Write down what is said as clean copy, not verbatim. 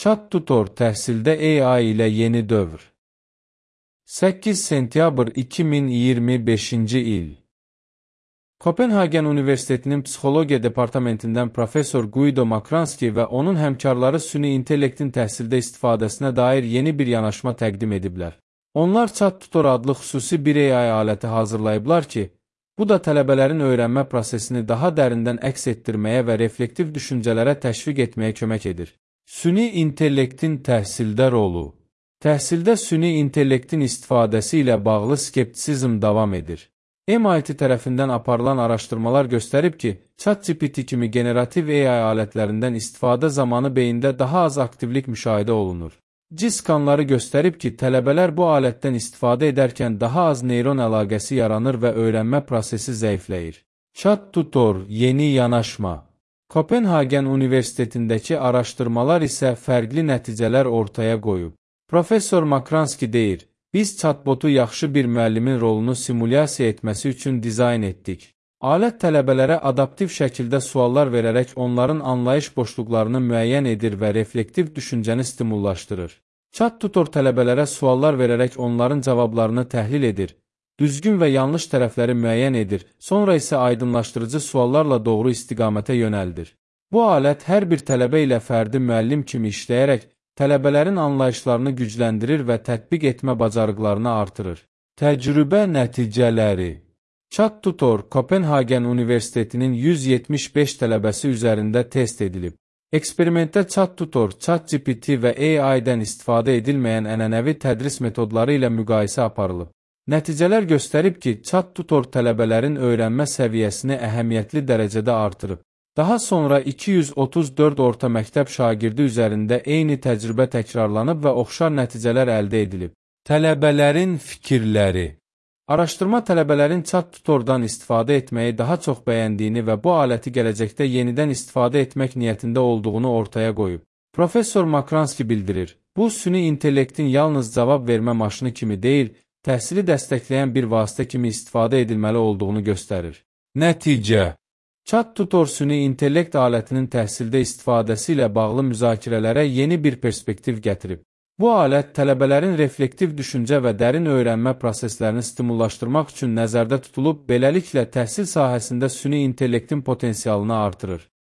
ChatTutor təhsildə AI ilə yeni dövr. 8 sentyabr 2025-ci il. Kopenhagen Universitetinin Psixologiya Departamentindən professor Guido Makranski və onun həmkarları süni intellektin təhsildə istifadəsinə dair yeni bir yanaşma təqdim ediblər. Onlar ChatTutor adlı xüsusi bir AI aləti hazırlayıblar ki, bu da tələbələrin öyrənmə prosesini daha dərindən əks etdirməyə və reflektiv düşüncələrə təşviq etməyə kömək edir. Süni intellektin təhsildə rolu. Təhsildə süni intellektin istifadəsi ilə bağlı skeptisizm davam edir. MIT tərəfindən aparılan araşdırmalar göstərib ki, ChatGPT kimi generativ AI alətlərindən istifadə zamanı beyində daha az aktivlik müşahidə olunur. Skanları göstərib ki, tələbələr bu alətdən istifadə edərkən daha az neyron əlaqəsi yaranır və öyrənmə prosesi zəifləyir. ChatTutor yeni yanaşma. Kopenhagen Universitetindəki araşdırmalar isə fərqli nəticələr ortaya qoyub. Professor Makranski deyir, biz chatbotu yaxşı bir müəllimin rolunu simulyasiya etməsi üçün dizayn etdik. Alət tələbələrə adaptiv şəkildə suallar verərək onların anlayış boşluqlarını müəyyən edir və reflektiv düşüncəni stimullaşdırır. ChatTutor tələbələrə suallar verərək onların cavablarını təhlil edir, düzgün və yanlış tərəfləri müəyyən edir, sonra isə aydınlaşdırıcı suallarla doğru istiqamətə yönəldir. Bu alət hər bir tələbə ilə fərdi müəllim kimi işləyərək tələbələrin anlayışlarını gücləndirir və tətbiq etmə bacarıqlarını artırır. Təcrübə nəticələri. ChatTutor Kopenhagen Universitetinin 175 tələbəsi üzərində test edilib. Eksperimentdə ChatTutor, ChatGPT və AI-dən istifadə edilməyən ənənəvi tədris metodları ilə müqayisə aparılıb. Nəticələr göstərib ki, ChatTutor tələbələrin öyrənmə səviyyəsini əhəmiyyətli dərəcədə artırıb. Daha sonra 234 orta məktəb şagirdi üzərində eyni təcrübə təkrarlanıb və oxşar nəticələr əldə edilib. Tələbələrin fikirləri. Araşdırma tələbələrin ChatTutordan istifadə etməyi daha çox bəyəndiyini və bu aləti gələcəkdə yenidən istifadə etmək niyyətində olduğunu ortaya qoyub. Professor Makranski bildirir, bu süni intellektin yalnız cavab vermə maşını kimi deyil, təhsili dəstəkləyən bir vasitə kimi istifadə edilməli olduğunu göstərir. Nəticə. ChatTutor süni intellekt alətinin təhsildə istifadəsi ilə bağlı müzakirələrə yeni bir perspektiv gətirib. Bu alət tələbələrin reflektiv düşüncə və dərin öyrənmə proseslərini stimullaşdırmaq üçün nəzərdə tutulub, beləliklə təhsil sahəsində süni intellektin potensialını artırır.